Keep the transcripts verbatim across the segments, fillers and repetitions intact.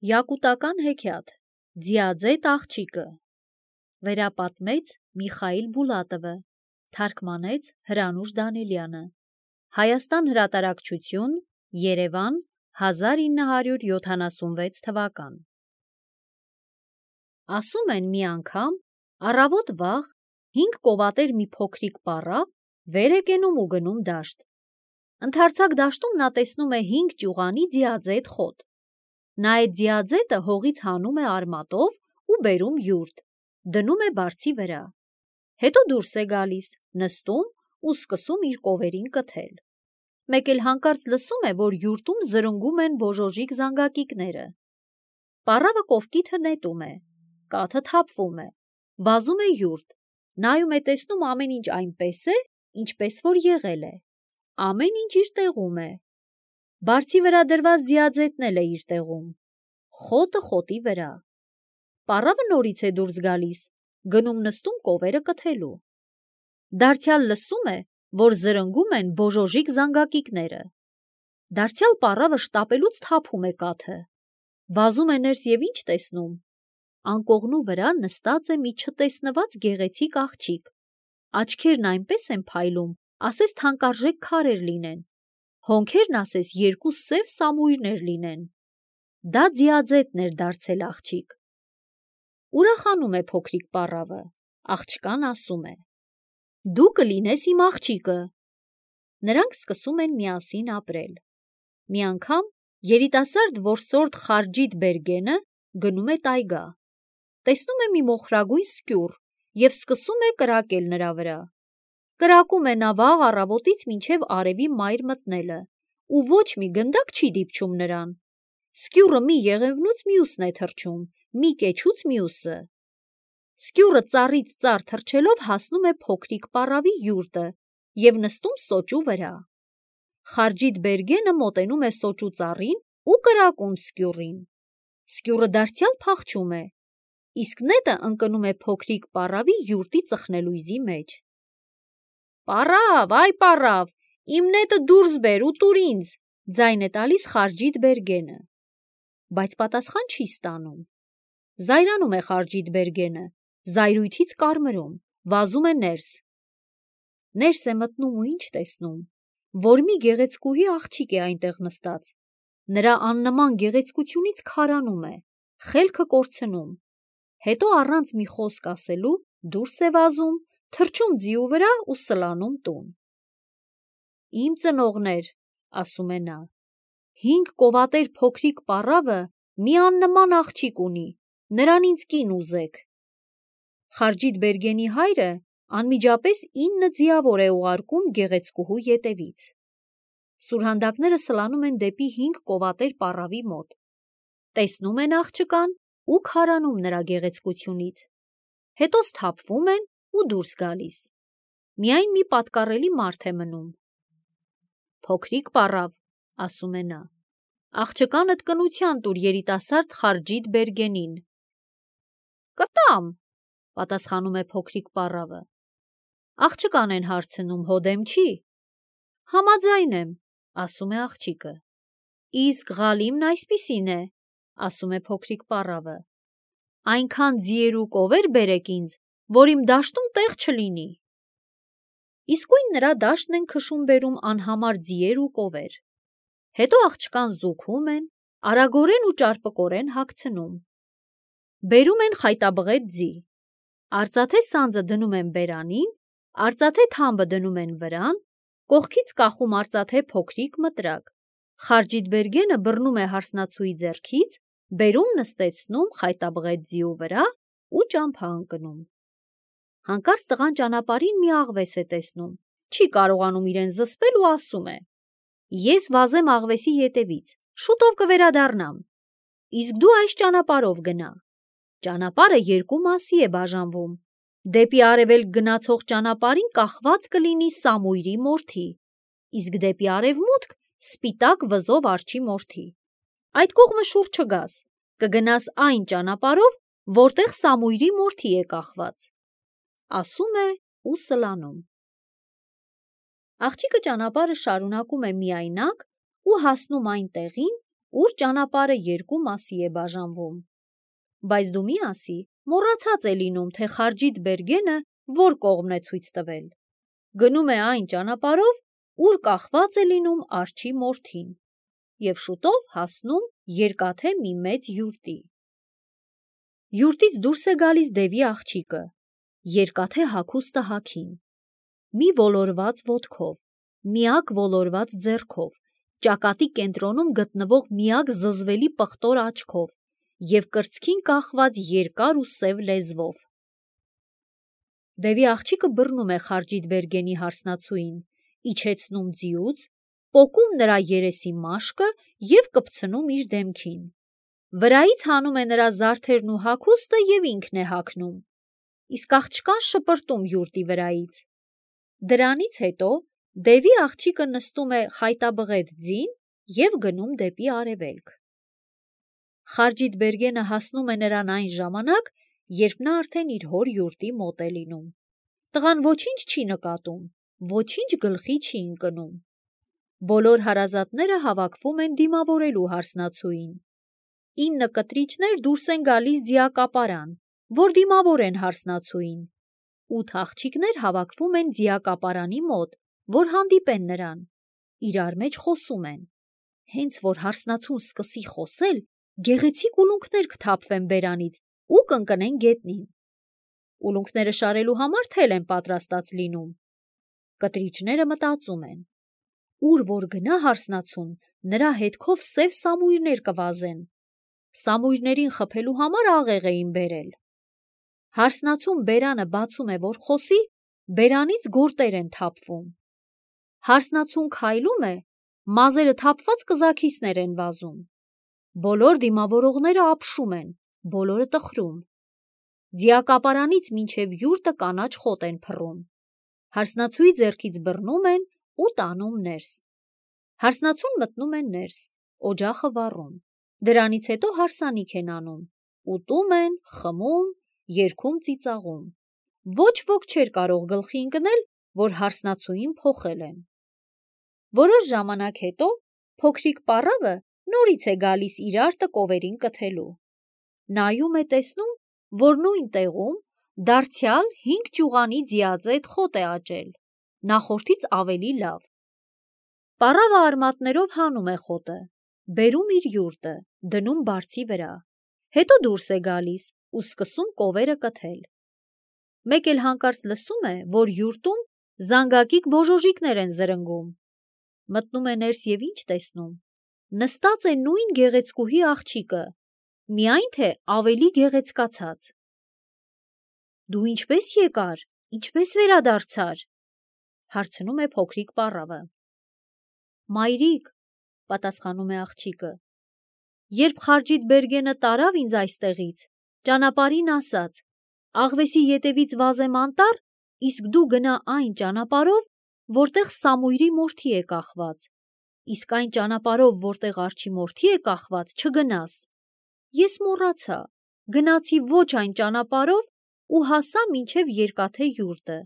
Յակուտական հեքիաթ Ձիաձետ աղջիկը վերապատմեց Միխայիլ Բուլատովը, թարգմանեց Հրանուշ Դանիելյանը, Հայաստան հրատարակչություն, Երևան, հազար ինը հարյուր յոթանասունվեց թվական։ Ասում են մի անգամ, առավոտ վաղ, հինգ կովատեր մի փոքրիկ պառավ վեր է կենում ու գնում դաշտ։ Ընդարձակ դաշտում նա տեսնում է հինգ ճյուղանի ձիաձետ խոտ։ Նա այդ ձիաձետը հողից հանում է արմատով ու բերում յուրտ, դնում է բարձի վրա։ Հետո դուրս է գալիս, նստում ու սկսում իր կովերին կթել։ Մեկ էլ հանկարծ լսում է, որ յուրտում զրնգում են բոժոժիկ զանգակիկները։ Պառավը կովկիթը նետում է, կաթը թափվում է, վազում է յուրտ, նայում է, տեսնում ամեն ինչ այնպես է, ինչպես որ եղել է, ամեն ինչ իր տեղում է։ Բարձի վրա դրված ձիաձետն էլ է իր տեղում, խոտը խոտի վրա։ Պառավը նորից է դուրս գալիս, գնում նստում կովերը կթելու։ Դարձյալ լսում է, որ զրնգում են բոժոժիկ զանգակիկները։ Դարձյալ պառավը շտապելուց թափում է կաթը, վազում է ներս և ինչ տեսնում։ Անկողնու վրա նստած է մի չտեսնված գեղեցիկ աղջիկ, աչքերն այնպես են փայլում, ասես թանկարժեք քարեր լինեն, հոնքերն ասես երկու սև սամույրներ լինեն։ Դա ձիաձետն էր դարձել աղջիկ։ Ուրախանում է փոքրիկ պառավը, աղջկան ասում է. «Դու կլինես իմ աղջիկը»։ Նրանք սկսում են միասին ապրել։ Մի անգամ երիտասարդ որսորդ Խարջիտ Բերգենը գնում է տայգա, տեսնում է մի մոխրագույն սկյուռ և սկսում է կրակել նրա վրա։ Կրակում է նա վաղ առավոտից մինչև արևի մայր մտնելը ու ոչ մի գնդակ չի դիպչում նրան։ Սկյուռը մի եղևնուց մյուսն է թռչում, մի կեչուց մյուսը։ Սկյուռը ծառից ծառ թռչելով հասնում է փոքրիկ պառավի յուրտը և նստում սոճու վրա։ Խարջիտ Բերգենը մոտենում է սոճու ծառին ու կրակում սկյուռին։ Սկյուռը դարձյալ փախչում է, իսկ նետը ընկնում է փոքրիկ պառավի յուրտի ծխնելույզի մեջ։ «Պառավ, այ պառավ, իմ նետը դուրս բեր ու տուր ինձ», ձայն է տալիս Խարջիտ Բերգենը, բայց պատասխան չի ստանում։ Զայրանում է Խարջիտ Բերգենը, զայրույթից կարմրում, վազում է ներս։ Ներս է մտնում ու ինչ տեսնում, որ մի գեղեցկուհի աղջիկ է այնտեղ նստած, նրա աննման գեղեցկությունից քարանում է, խելքը կորցնում, հետո առանց մի խոսք ասելու դուրս է վազում, թռչում ձիու վրա ու սլանում տուն։ «Իմ ծնողներ», ասում է նա, «հինգ կովատեր փոքրիկ պառավը մի աննման աղջիկ ունի, նրան ինձ կին ուզեք»։ Խարջիտ Բերգենի հայրը անմիջապես ինը ձիավոր է ուղարկում գեղեցկուհու ետևից։ Սուրհանդակները սլանում են դեպի հինգ կովատեր պառավի մոտ, տեսնում են աղջկան ու քարանում նրա գեղեցկությունից, հետո սթափվում են ու դուրս գալիս։ Միայն մի պատկառելի մարդ է մնում։ «Փոքրիկ պառավ», ասում է նա, «աղջկանդ կնության տուր երիտասարդ Խարջիտ Բերգենին»։ «Կտամ», պատասխանում է փոքրիկ պառավը։ Աղջկան են հարցնում, հո դեմ չի։ «Համաձայն եմ», ասում է աղջիկը։ «Իսկ Ղալիմն այսպիսին է», ասում է փոքրիկ պառավը, «այնքան ձիեր ու կովեր բերեք ինձ, որ իմ դաշտում տեղ չլինի»։ Իսկույն նրա դաշտն են քշում բերում անհամար ձիեր ու կովեր։ Հետո աղջկան զուգում են, արագորեն ու ճարպկորեն հագցնում։ Բերում են խայտաբղետ ձի։ Արծաթե սանձը դնում են բերանին, արծաթե թամբը դնում են վրան, կողքից կախում արծաթե փոքրիկ մտրակ։ Խարջիտ Բերգենը բռնում է հարսնացուի ձեռքից, բերում նստեցնում խայտաբղետ ձիու վրա ու ճամփա ընկնում։ Հանկարծ տղան ճանապարհին մի աղվես է տեսնում, չի կարողանում իրեն զսպել ու ասում է. «Ես վազեմ աղվեսի ետևից, շուտով կվերադառնամ, իսկ դու այս ճանապարհով գնա»։ Ճանապարհը երկու մասի է բաժանվում, դեպի արևելք գնացող ճանապարհին կախված կլինի Սամույրի մորթի, իսկ դեպի արևմուտք սպիտակ վզով արջի մորթի։ Այդ կողմը շուռ չգաս, կգնաս այն ճանապարհով, որտեղ Սամույրի մորթի է կախված, ասում է ու սլանում։ Աղջիկը ճանապարհը շարունակում է միայնակ ու հասնում այն տեղին, ուր ճանապարհը երկու մասի է բաժանվում։ Բայց դու մի ասի, մոռացած է լինում, թե Խարջիտ Բերգենը որ կողմն է ցույց տվել։ Գնում է այն ճանապարհով, ուր կախված է լինում արջի մորթին, և շուտով հասնում երկաթե մի մեծ յուրտի։ Յուրտից դուրս է գալիս դևի աղջիկը, երկաթե հագուստը հագին, մի ոլորված ոտքով, միակ ոլորված ձեռքով, ճակատի կենտրոնում գտնվող միակ զզվելի պղտոր աչքով և կրծքին կախված երկար ու սև լեզվով։ Դևի աղջիկը բռնում է Խարջիտ Բերգենի հարսնացուին, իջեցնում ձիուց, պոկում նրա երեսի մաշկը և կպցնում իր դեմքին։ Վրայից հանում է նրա զարդերն ու հագուստը և ինքն է հագնում, իսկ աղջկան շպրտում յուրտի վրայից։ Դրանից հետո դևի աղջիկը նստում է խայտաբղետ ձին և գնում դեպի արևելք։ Խարջիտ Բերգենը հասնում է նրան այն ժամանակ, երբ նա արդեն իր հոր յուրտի մոտ է լինում։ Տղան ոչինչ չի նկատում, ոչինչ գլխի չի ընկնում։ Բոլոր հարազատները հավաքվում են դիմավորելու հարսնացուին։ Ինը կտրիչներ դուրս են գալիս ձիակապարան, որ դիմավորեն հարսնացուին։ Ութ աղջիկներ հավաքվում են ձիակապարանի մոտ, որ հանդիպեն նրան, իրար մեջ խոսում են։ Հենց որ հարսնացուն սկսի խոսել, գեղեցիկ ուլունքներ կթափվեն բերանից ու կընկնեն գետնին։ Ուլունքները շարելու համար թել են պատրաստած լինում։ Կտրիչները մտածում են. ուր որ գնա հարսնացուն, նրա հետքով սև սամույրներ կվազեն։ Սամույրներին խփելու համար աղեղ էին բերել։ Հարսնացուն բերանը բացում է, որ խոսի, բերանից գորտեր են թափվում։ Հարսնացուն քայլում է, մազերը թափված կզաքիսներ են վազում։ Բոլոր դիմավորողները ապշում են, բոլորը տխրում։ Ձիակապարանից մինչև յուրտը կանաչ խոտ են փռում։ Հարսնացուի ձեռքից բռնում են ու տանում ներս։ Հարսնացուն մտնում է ներս, օջախը վառում։ Դրանից հետո հարսանիք են անում, ուտում են, խմում, երգում, ծիծաղում։ Ոչ ոք չէր կարող գլխի ընկնել, որ հարսնացուին փոխել են։ Որոշ ժամանակ հետո փոքրիկ պառավը նորից է գալիս իր արտը կովերին կթելու։ Նայում է, տեսնում, որ նույն տեղում դարձյալ հինգ ճյուղանի ձիաձետ խոտ է աճել, նախորդից ավելի լավ։ Պառավը արմատներով հանում է խոտը, բերում իր յուրտը, դնում բարձի վրա, հետո դուրս է գալիս ու սկսում կովերը կթել։ Մեկ էլ հանկարծ լսում է, որ յուրտում զանգակիկ բոժոժիկներ են զրնգում։ Մտնում է ներս և ինչ տեսնում։ Նստած է նույն գեղեցկուհի աղջիկը, միայն թե ավելի գեղեցկացած։ Դու ինչպե՞ս եկար, ինչպե՞ս վերադարձար, հարցնում է փոքրիկ պառավը։ Մայրիկ, պատասխանում է աղջիկը, երբ Խարջիտ Բերգենը տարավ ինձ այստեղից, ճանապարհին ասաց, աղվեսի ետևից վազեմ անտառ, իսկ դու գնա այն ճանապարհով, որտեղ Սամույրի մորթի է կախված, իսկ այն ճանապարհով, որտեղ արջի մորթի է կախված, չգնաս։ Ես մոռացա, գնացի ոչ այն ճանապարհով ու հասա մինչև երկաթե յուրտը։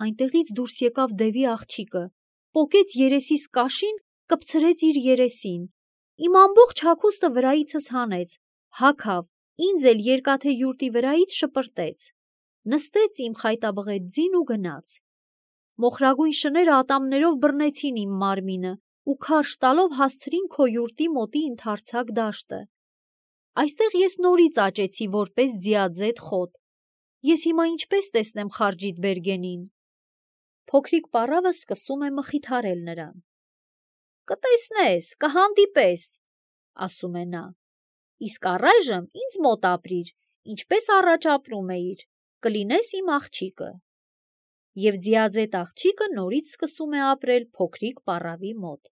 Այնտեղից դուրս եկավ դևի աղջիկը, պոկեց երեսիս կաշին, կպցրեց իր երեսին, իմ ամբողջ հագուստը վրայիցս հանեց, հագավ, ինձ էլ երկաթե յուրտի վրայից շպրտեց, նստեց իմ խայտաբղետ ձին ու գնաց։ Մոխրագույն շները ատամներով բռնեցին իմ մարմինը ու քարշ տալով հասցրին քո յուրտի մոտի ընդարձակ դաշտը։ Այստեղ ես նորից աճեցի որպես ձիաձետ խոտ։ Ես հիմա ինչպես տեսնեմ Խարջիտ Բերգենին։ Փոքրիկ պառավը սկսում է մխիթարել նրան։ Կտեսնես, կհանդիպես, ասում է նա, իսկ առայժմ ինձ մոտ ապրիր, ինչպես առաջ ապրում էիր, կլինես իմ աղջիկը։ Եվ ձիաձետ աղջիկը նորից սկսում է ապրել փոքրիկ պառավի մոտ։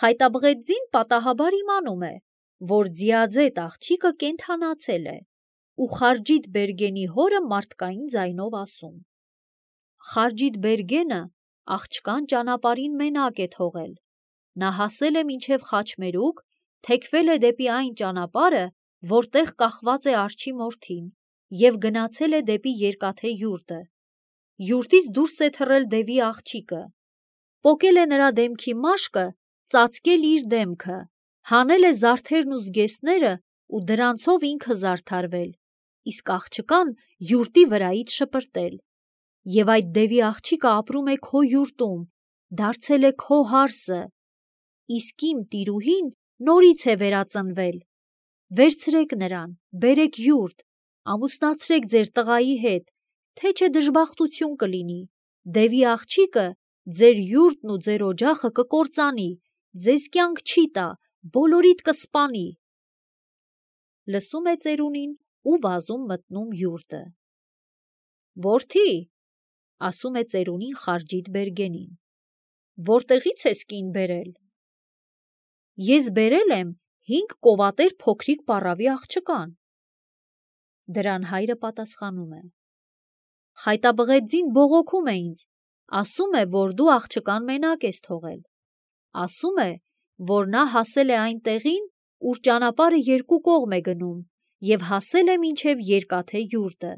Խայտաբղետ ձին պատահաբար իմանում է, որ ձիաձետ աղջիկը կենդանացել է ու Խարջիտ Բերգենի հորը մարդկային ձայնով ասում. Խարջիտ Բերգենը աղջկան ճանապարհին մենակ է թողել, նա հասել է մինչև Խաչմերուկ, թեքվել է դեպի այն ճանապարհը, որտեղ կախված է արջի մորթին, և գնացել է դեպի երկաթե յուրտը։ Յուրտից դուրս է թռել դևի աղջիկը, պոկել է նրա դեմքի մաշկը, ծածկել իր դեմքը, հանել է զարդերն ու զգեստները ու դրանցով ինքը զարդարվել, իսկ աղջկան յուրտի վրայից շպրտել։ Եվ այդ դևի աղջիկը ապրում է քո յուրտում, դարձել է քո հարսը, իսկ իմ տիրուհին նորից է վերածնվել։ Վերցրեք նրան, բերեք յուրտ, ամուսնացրեք ձեր տղայի հետ, թե չէ դժբախտություն կլինի, դևի աղջիկը ձեր յուրտն ու ձեր օջախը կկործանի, ձեզ կյանք չի տա, բոլորիդ կսպանի։ Լսում է ծերունին ու վազում մտնում յուրտը։ Որդի, ասում է ծերունին Խարջիտ Բերգենին, որտեղից ես կին բերել։ Ես բերել եմ հինգ կովատեր փոքրիկ պառավի աղջկան։ Դրան հայրը պատասխանում է. Խայտաբղետ ձին բողոքում է ինձ, ասում է, որ դու աղջկան մենակ ես թողել։ Ասում է, որ նա հասել է այն տեղին, ուր ճանապարհը երկու կողմ է գնում, և հասել է մինչև երկաթե յուրտը։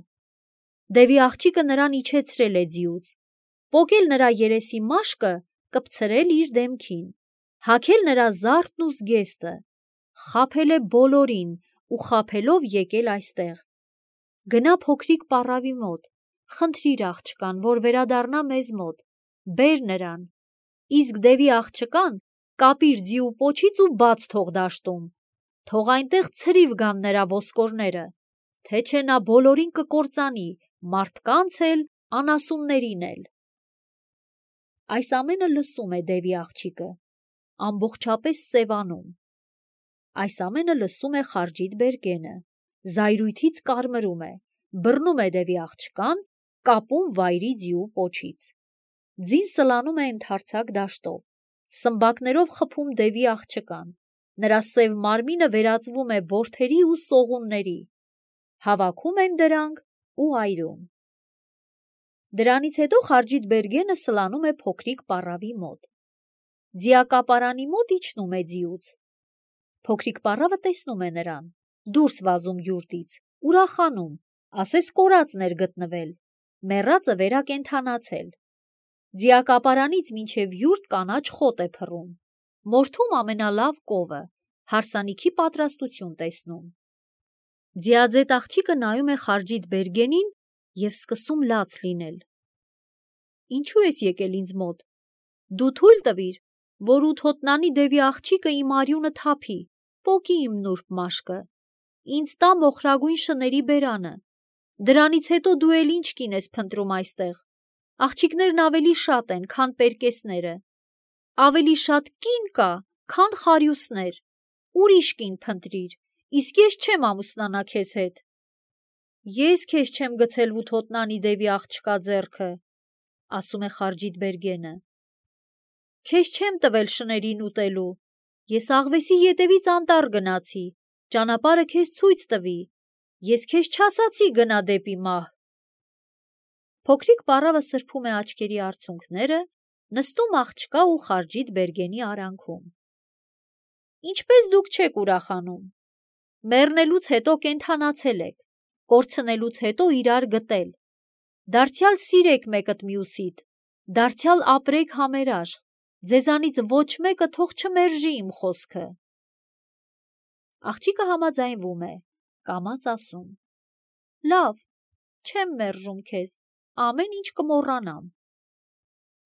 Դևի աղջիկը նրան իջեցրել է ձիուց, պոկել նրա երեսի մաշկը, կպցրել իր դեմքին, հագել նրա զարդն ու զգեստը, խաբել է բոլորին ու խաբելով եկել այստեղ։ Գնա փոքրիկ պառավի մոտ, խնդրիր աղջկան, որ վերադառնա մեզ մոտ, բեր նրան, իսկ դևի աղջկան կապիր ձիու պոչից ու բաց թող դաշտում, թող այնտեղ ցրիվ գան նրա ոսկորները, թե չէ նա բոլորին կկործանի, մարդկանց էլ, անասուններին էլ։ Այս ամենը լսում է դևի աղջիկը, ամբողջապես սևանում։ Այս ամենը լսում է Խարջիտ Բերգենը, զայրույթից կարմրում է, բռնում է դևի աղջկան, կապում վայրի ձիու պոչից։ Ձին սլանում է ընդարձակ դաշտով, սմբակներով խփում դևի աղջկան, նրա սև մարմինը վերածվում է որդերի ու սողունների, հավաքում են դրանք ու այրում։ Դրանից հետո Խարջիտ Բերգենը սլանում է փոքրիկ պառավի մոտ։ Ձիակապարանի մոտ իջնում է ձիուց։ Փոքրիկ պառավը տեսնում է նրան, դուրս վազում յուրտից, ուրախանում, ասես կորածն էր գտնվել, մեռածը վերակենդանացել։ Ձիակապարանից մինչև յուրտ կանաչ խոտ է փռում, մորթում ամենալավ կովը, հարսանիքի պատրաստություն տեսնում։ Ձիաձետ աղջիկը նայում է Խարջիտ Բերգենին և սկսում լաց լինել։ Ինչու ես եկել ինձ մոտ։ Դու թույլ տվիր, որ ութոտնանի դևի աղջիկը իմ արյունը թափի, պոկի իմ նուրբ մաշկը, ինձ տա մոխրագույն շների բերանը, դրանից հետո դու էլ ինչ կին ես փնտրում այստեղ։ Աղջիկներն ավելի շատ են, քան պերկեսները, ավելի շատ կին կա, քան խարյուսներ, ուրիշ կին փնտրիր, իսկ ես չեմ ամուսնանա քեզ հետ։ Ես քեզ չեմ գցել ութոտնանի դևի աղջկա ձեռքը, ասում է Խարջիտ Բերգենը։ Քեզ չեմ տվել շներին ուտելու, ես աղվեսի ետևից անտառ գնացի, ճանապարհը քեզ ցույց տվի, ես քեզ չասացի գնա դեպի մահ։ Փոքրիկ պառավը սրբում է աչքերի արցունքները, նստում աղջկա ու Խարջիտ Բերգենի արանքում։ Ինչպես դուք չեք ուրախանում։ Մեռնելուց հետո կենդանացել եք, կորցնելուց հետո իրար գտել, դարձյալ սիրեք մեկըդ մյուսիդ, դարձյալ ապրեք համերաշխ, ձեզանից ոչ մեկը թող չմերժի իմ խոսքը։ Աղջիկը համաձայնվում է, կամաց ասում. Լավ, չեմ մերժում քեզ, ամեն ինչ կմոռանամ։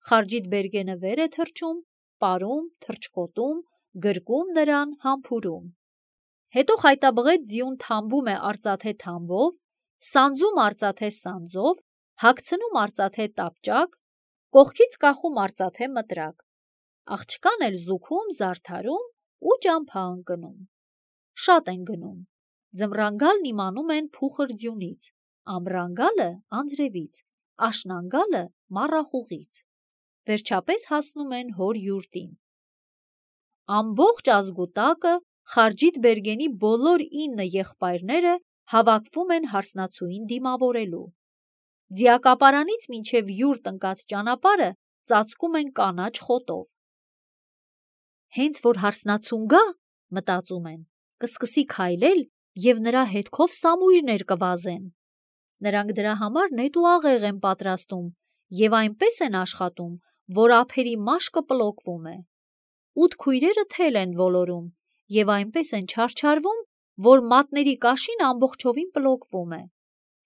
Խարջիտ Բերգենը վեր է թռչում, պարում, թռչկոտում, գրկում նրան, համբուրում։ Հետո խայտաբղետ ձիուն թամբում է արծաթե թամբով, սանձում արծաթե սանձով, հագցնում արծաթե տապճակ, կողքից կախում արծաթե մտրակ, աղջկան էլ զուգում, զարդարում ու ճամփա ընկնում։ Շատ են գնում, ձմռան իմանում են փուխր ձյունից, ամռան անձրևից, աշնան մառախուղից, վերջապես հասնում են հոր յուրտին։ Ամբողջ ազգուտակը Խարջիտ Բերգենի բոլոր ինը եղբայրները հավաքվում են հարսնացուին դիմավորելու։ Ձիակապարանից մինչև յուրտ ընկած ճանապարհը ծածկում են կանաչ խոտով։ Հենց որ հարսնացուն գա, մտածում են, կսկսի քայլել և նրա հետքով սամույրներ կվազեն։ Նրանք դրա համար նետ ու աղեղ են պատրաստում և այնպես են աշխատում, որ ափերի մաշկը պլոկվում է։ Ութ քույրերը թել են ոլորում և այնպես են չարչարվում, որ մատների կաշին ամբողջովին պլոկվում է։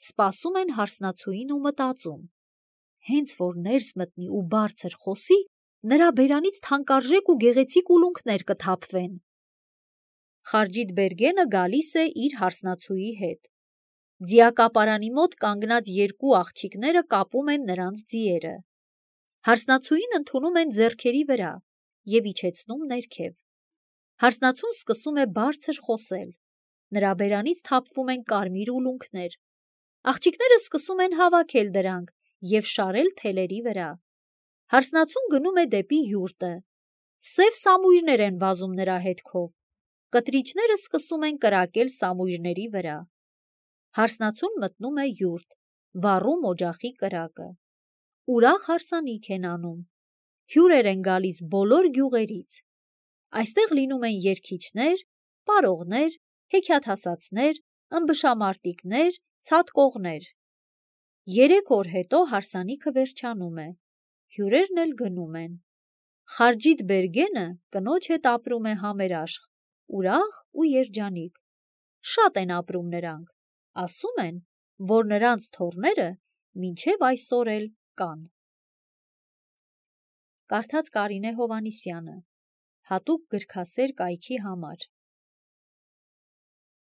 Սպասում են հարսնացուին ու մտածում. հենց որ ներս մտնի ու բարձր խոսի, նրա բերանից թանկարժեք ու գեղեցիկ ուլունքներ կթափվեն։ Խարջիտ Բերգենը գալիս է իր հարսնացուի հետ։ Ձիակապարանի մոտ կանգնած երկու աղջիկները կապում են նրանց ձիերը։ Հարսնացուին ընդունում են ձեռքերի վրա և իջեցնում ներքև։ Հարսնացուն սկսում է բարձր խոսել։ Նրա բերանից թափվում են կարմիր ուլունքներ։ Աղջիկները սկսում են հավաքել դրանք և շարել թելերի վրա։ Հարսնացուն գնում է դեպի յուրտը։ Սև սամույրներ են վազում նրա հետքով։ Կտրիչները սկսում են կրակել սամույրների վրա։ Հարսնացուն մտնում է յուրտ, վառում օջախի կրակը։ Ուրախ հարսանիք են անում։ Հյուրեր են գալիս բոլոր գյուղերից։ Այստեղ լինում են երգիչներ, պարողներ, հեքիաթասացներ, ըմբշամարտիկներ, ցատկողներ։ Երեք օր հետո հարսանիքը վերջանում է։ Հյուրերն էլ գնում են։ Խարջիտ Բերգենը կնոջ հետ ապրում է համերաշխ, ուրախ ու երջանիկ։ Շատ են ապրում նրանք։ Ասում են, որ նրանց թոռները մինչև այսօր էլ կան։ Կարդաց Կարինե Հովհաննիսյանը, հատուկ գրքասեր կայքի համար։